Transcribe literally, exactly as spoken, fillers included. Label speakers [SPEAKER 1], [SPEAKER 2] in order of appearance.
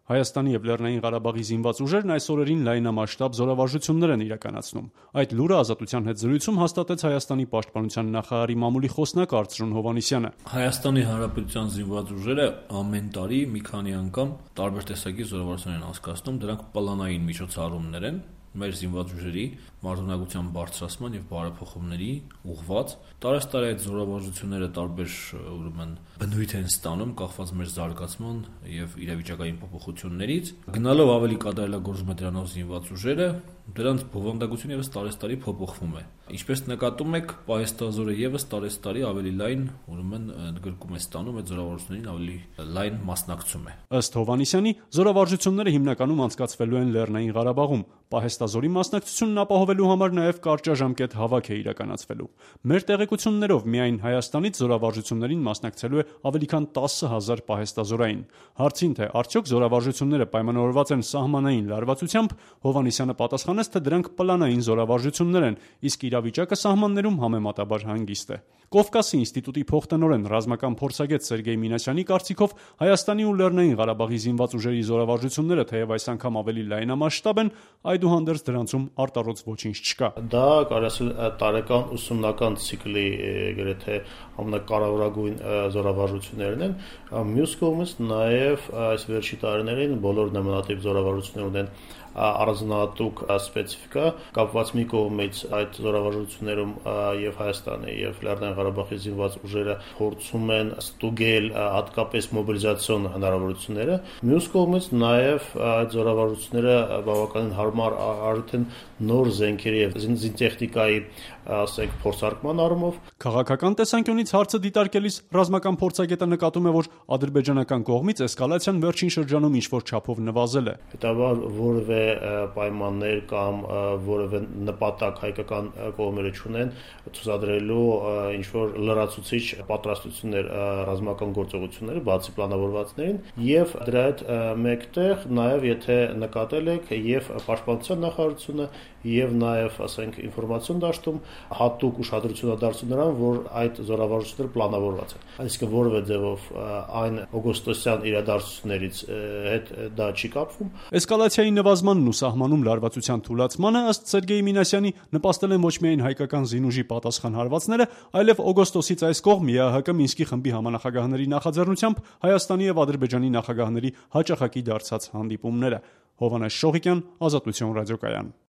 [SPEAKER 1] Հայաստանի և Լեռնային Ղարաբաղի զինված ուժերն այս օրերին լայնամասշտաբ զորավարժություններ են իրականացնում։ Այդ լուրը Ազատության հետ զրույցում հաստատեց Հայաստանի պաշտպանության նախարարի մամուլի խոսնակ Արծրուն Հովհաննիսյանը։
[SPEAKER 2] Հայաստանի Հանրապետության զինված ուժերը ամեն տարի մի քանի անգամ տարբեր տեսակի զորավարժություններ են անցկացնում, դրանք պլանային միջոցառումներ են մեր զինված ուժերի մարտունակության բարձրացման եւ բարեփոխումների ուղղված։ Տարեստարի այդ զորավարժությունները տարբեր ուրեմն բնույթ են ստանում, կախված մեր զարգացման եւ իրավիճակային փոփոխություններից։ Գնալով ավելի կատարելագործում է դրանով զինված ուժերը, դրանց բովանդակությունը եւս տարեստարի փոփոխվում է։ Ինչպես նկատում եք, պահեստազորը եւս տարեստարի ավելի լայն ուրեմն ընդգրկում է ստանում, այդ զորավարժություններին ավելի լայն մասնակցում է։
[SPEAKER 1] Ըստ Հովհաննիսյանի, զորավարժությունները հիմնականում անցկացվելու են Լեռնային Ղարաբաղում։ Պահեստազորի մասնակցությունն ապահովելու համար նաև կարճաժամկետ հավաք է իրականացվելու։ Մեր տեղեկություններով միայն Հայաստանից զորավարժություններին մասնակցելու է ավելի քան տասը հազար պահեստազորային։ Հարցին, թե արդյոք զորավարժությունները պայմանավորված են սահմանային լարվածությամբ, Հովհաննիսյանը պատասխանեց, թե դրանք պլանային զորավարժություններ են, իսկ իրավիճակը սահմաններում համեմատաբար հանգիստ է։ Կովկասի ինստիտուտի փոխտնօրեն ռազմական փորձագետ Սերգեյ Մինասյանի կարծիքով Հայաստանի ու Լեռնային Ղարաբաղի զինված ուժերի զորավարժությունները թեև այս անգամ ավելի լայնամասշտաբ են, այդուհանդերձ դրանցում արտառոց ոչինչ չկա։
[SPEAKER 3] Դա կարելի ասել տարեկան ուսումնական ցիկլի գրեթե ամենակարևորագույն զորավարժություններն են։ Մյուս կողմից նաև այս վերջի տարիներին բոլոր նմանատիպ զորավարժություններ ունեն առանձնահատուկ սպეციფիկա, կապված մի կողմից այդ զորավարժություններում եւ Հայաստանի եւ Լեռնային Ղարաբաղի զինված ուժերը փորձում են ստուգել հատկապես մոբիլիզացիոն հնարավորությունները, մյուս կողմից նաեւ այդ զորավարժությունները բավականին հարմար արդեն նոր զենքերի եւ զինտեխնիկայի, ասենք, փորձարկման առումով։
[SPEAKER 1] Քաղաքական տեսանկյունից հարցը դիտարկելիս ռազմական փորձագետը նկատում է, որ ադրբեջանական կողմից էսկալացիան վերջին շրջանում ինչ-որ չափով նվազել է։
[SPEAKER 3] Հետաբար որևէ պայմաններ կամ որևէ նպատակ հայկական կողմերը չունեն ցուցադրելու ինչ-որ լրացուցիչ պատրաստություններ ռազմական գործողությունները, բացի պլանավորվածներին, եւ դրա հետ մեկտեղ նաեւ եթե նկատել եք եւ պաշտպանության նախարարությունը եւ նաեւ, ասենք, ինֆորմացիոն դաշտում հատուկ ուշադրություն է դարձնում նրան, որ այդ զորավարժությունները պլանավորված են։ Այսինքն որևէ ձևով այն օգոստոսյան իրադարձություններից հետ դա չի կապվում։
[SPEAKER 1] Էսկալացիայի նվազմանն ու սահմանում լարվածության թուլացմանը, ըստ Սերգեյ Մինասյանի, նպաստել են ոչ միայն հայկական զինուժի պատասխան հարվածները, այլև օգոստոսից այս կողմ ԵԱՀԿ Մինսկի խմբի համանախագահների նախաձեռնությամբ Հայաստանի եւ Ադրբեջանի նախագահների հաճախակի դարձած հանդիպումները։ Հովհաննես Շողիկյան, Ազատություն ռադիոկայան։